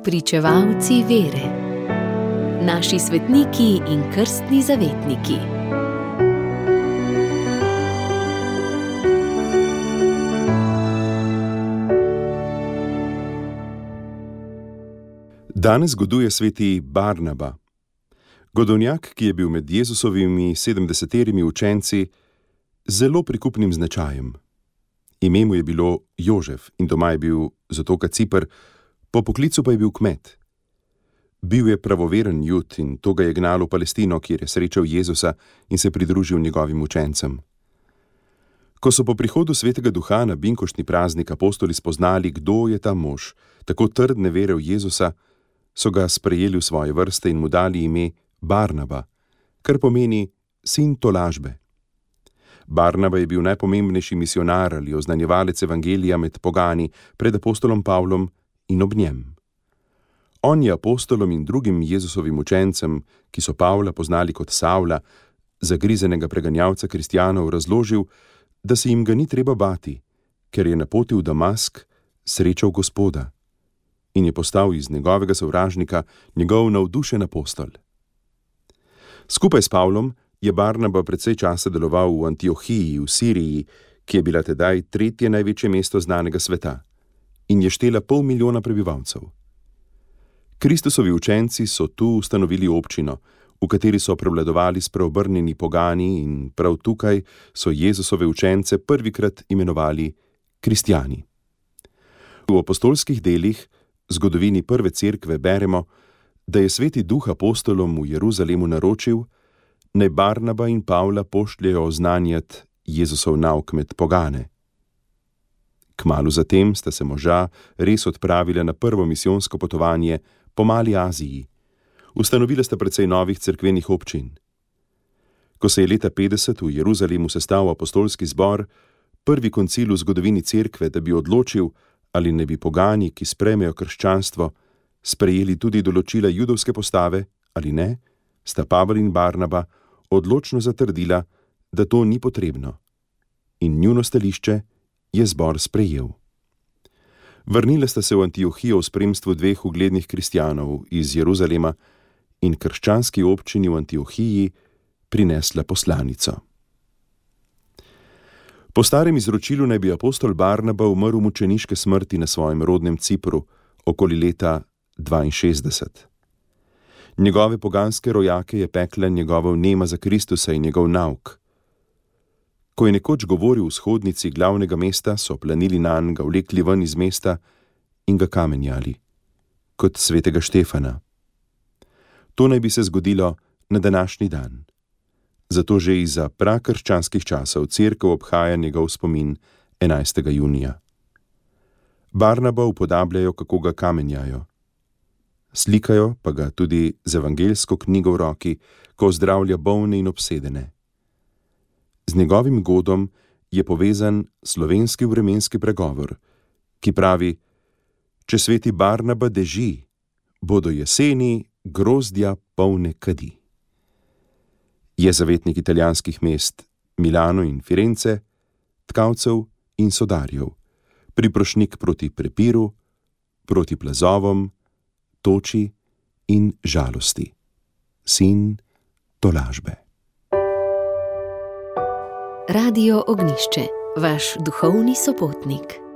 Spričevalci vere. Naši svetniki in krstni zavetniki. Danes goduje sveti Barnaba, godovnjak, ki je bil med Jezusovimi 70 učenci z zelo prikupnim značajem. Ime mu je bilo Jožef in doma je bil z otoka Ciper, po poklicu pa je bil kmet. Bil je pravoveren Jud in to ga je gnalo v Palestino, kjer je srečal Jezusa in se pridružil njegovim učencem. Ko so po prihodu Svetega Duha na binkoštni praznik apostoli spoznali, kdo je ta mož, tako trdne vere v Jezusa, so ga sprejeli v svoje vrste in mu dali ime Barnaba, kar pomeni sin tolažbe. Barnaba je bil najpomembnejši misionar ali oznanjevalec evangelija med pogani pred apostolom Pavlom in ob njem. On je apostolom in drugim Jezusovim učencem, ki so Pavla poznali kot Savla, zagrizenega preganjalca kristjanov, razložil, da se jim ga ni treba bati, ker je na poti v Damask srečal Gospoda in je postal iz njegovega sovražnika njegov navdušen apostol. Skupaj s Pavlom je Barnaba precej časa deloval v Antiohiji v Siriji, ki je bila tedaj tretje največje mesto znanega sveta in je štela 500 000 prebivalcev. Kristusovi učenci so tu ustanovili občino, v kateri so prevladovali spreobrnjeni pogani, in prav tukaj so Jezusove učence prvikrat imenovali kristjani. V apostolskih delih, zgodovini prve cerkve, beremo, da je Sveti Duh apostolom v Jeruzalemu naročil, naj Barnaba in Pavla pošljejo oznanjat Jezusov nauk med pogane. Kmalu zatem sta se moža res odpravila na prvo misijonsko potovanje po Mali Aziji. Ustanovila sta precej novih cerkvenih občin. Ko se je leta 50 v Jeruzalemu sestal apostolski zbor, prvi koncil v zgodovini cerkve, da bi odločil, ali ne bi pogani, ki sprejmejo krščanstvo, sprejeli tudi določila judovske postave ali ne, sta Pavel in Barnaba odločno zatrdila, da to ni potrebno. In njuno stališče je zbor sprejel. Vrnila sta se v Antiohijo v spremstvu 2 uglednih kristjanov iz Jeruzalema in krščanski občini v Antiohiji prinesla poslanico. Po starem izročilu naj bi apostol Barnaba umrl mučeniške smrti na svojem rodnem Cipru okoli leta 62. Njegove poganske rojake je pekla njegova vnema za Kristusa in njegov nauk. Ko je nekoč govoril v shodnici glavnega mesta, so planili nanj, ga vlekli ven iz mesta in ga kamenjali, kot svetega Štefana. To naj bi se zgodilo na današnji dan. Zato že izza prakrščanskih časov cerkev obhaja njegov spomin 11. junija. Barnaba upodabljajo, kako ga kamenjajo. Slikajo pa ga tudi z evangeljsko knjigo v roki, ko zdravlja bolne in obsedene. Z njegovim godom je povezan slovenski vremenski pregovor, ki pravi: če sveti Barnaba deži, bodo jeseni grozdja polne kadi. Je zavetnik italijanskih mest Milano in Firence, tkalcev in sodarjev, priprošnik proti prepiru, proti plazovom, toči in žalosti. Sin tolažbe. Radio Ognjišče, vaš duhovni sopotnik.